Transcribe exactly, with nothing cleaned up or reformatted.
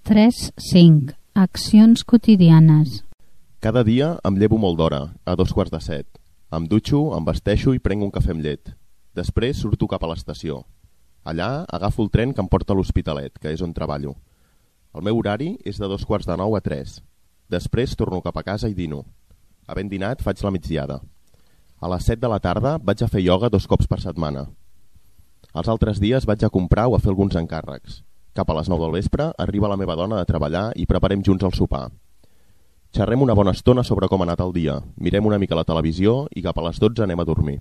tres cinc. Accions quotidianes. Cada dia em llevo molt d'hora, a dos quarts de set. Em dutxo, em vesteixo i prenc un cafè amb llet. Després surto cap a l'estació. Allà agafo el tren que em porta a l'Hospitalet, que és on treballo. El meu horari és de dos quarts de nou a tres. Després torno cap a casa i dino. Havent dinat faig la migdiada. A les set de la tarda vaig a fer ioga dos cops per setmana. Els altres dies vaig a comprar o a fer alguns encàrrecs. Cap a les nou del vespre arriba la meva dona de treballar i preparem junts el sopar. Xerrem una bona estona sobre com ha anat el dia, mirem una mica la televisió i cap a les dotze anem a dormir.